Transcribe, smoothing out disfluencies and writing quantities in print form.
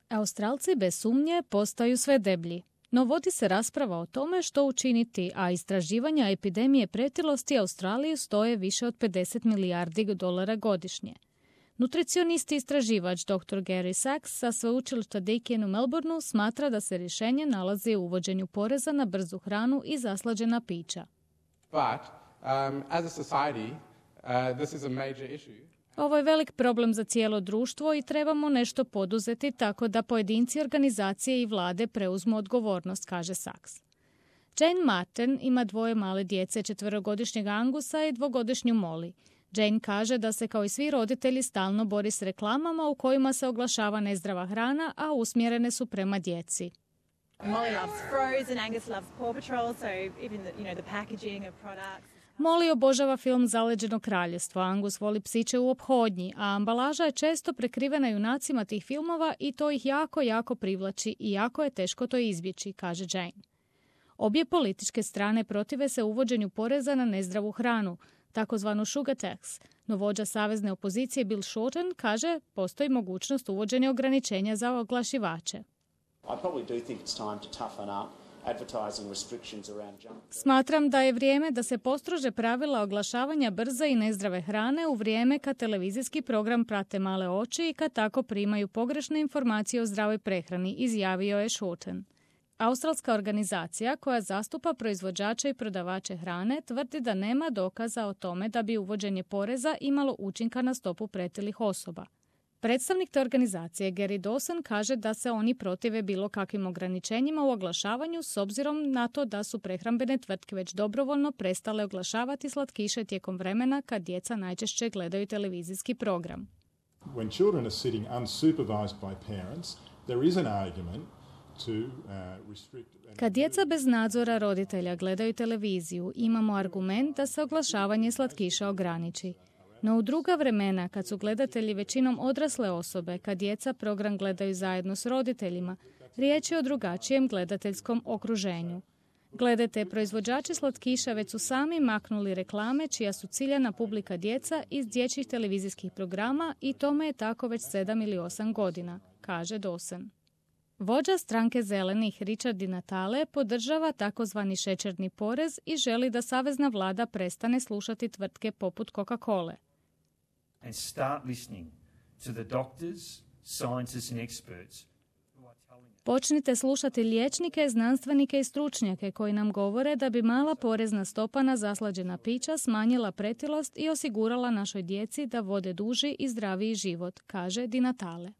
Australci bez sumnje postaju sve deblji. No vodi se rasprava o tome što učiniti, a istraživanja epidemije pretilosti Australiju stoje više od 50 milijardi dolara godišnje. Nutricionist i istraživač dr. Gary Sachs sa sveučilišta Deakin u Melbourneu smatra da se rješenje nalazi u uvođenju poreza na brzu hranu i zaslađena pića. But, as a society, this is a major issue. Ovo je velik problem za cijelo društvo i trebamo nešto poduzeti tako da pojedinci, organizacije i vlade preuzmu odgovornost, kaže Sachs. Jane Martin ima 2 male djece, 4-godišnjeg Angusa i 2-godišnju Molly. Jane kaže da se kao i svi roditelji stalno bori s reklamama u kojima se oglašava nezdrava hrana, a usmjerene su prema djeci. Molly loves Frozen, Angus loves Paw Patrol, so even the packaging of products. Molly obožava film Zaleđeno kraljevstvo, Angus voli psiće u ophodnji, a ambalaža je često prekrivena junacima tih filmova i to ih jako privlači i jako je teško to izbjeći, kaže Jane. Obje političke strane protive se uvođenju poreza na nezdravu hranu, takozvanu sugar tax, no vođa savezne opozicije Bill Shorten kaže postoji mogućnost uvođenja ograničenja za oglašivače. Smatram da je vrijeme da se postrože pravila oglašavanja brze i nezdrave hrane u vrijeme kad televizijski program prate male oči i kad tako primaju pogrešne informacije o zdravoj prehrani, izjavio je Shorten. Australska organizacija koja zastupa proizvođače i prodavače hrane tvrdi da nema dokaza o tome da bi uvođenje poreza imalo učinka na stopu pretilih osoba. Predstavnik te organizacije Gary Dawson kaže da se oni protive bilo kakvim ograničenjima u oglašavanju s obzirom na to da su prehrambene tvrtke već dobrovoljno prestale oglašavati slatkiše tijekom vremena kad djeca najčešće gledaju televizijski program. When children are sitting unsupervised by parents, there is an argument to restrict. Kad djeca bez nadzora roditelja gledaju televiziju, imamo argument da se oglašavanje slatkiša ograniči. No u druga vremena, kad su gledatelji većinom odrasle osobe, kad djeca program gledaju zajedno s roditeljima, riječ je o drugačijem gledateljskom okruženju. Gledajte, proizvođači slatkiša već su sami maknuli reklame čija su ciljana publika djeca iz dječjih televizijskih programa i tome je tako već 7 ili 8 godina, kaže Dawson. Vođa stranke zelenih Richard Di Natale podržava takozvani šećerni porez i želi da savezna vlada prestane slušati tvrtke poput Coca-Cole. And start listening to the doctors, scientists and experts. Počnite slušati liječnike, znanstvenike i stručnjake koji nam govore da bi mala porezna stopa na zaslađena pića smanjila pretilost i osigurala našoj djeci da vode duži i zdraviji život, kaže Di Natale.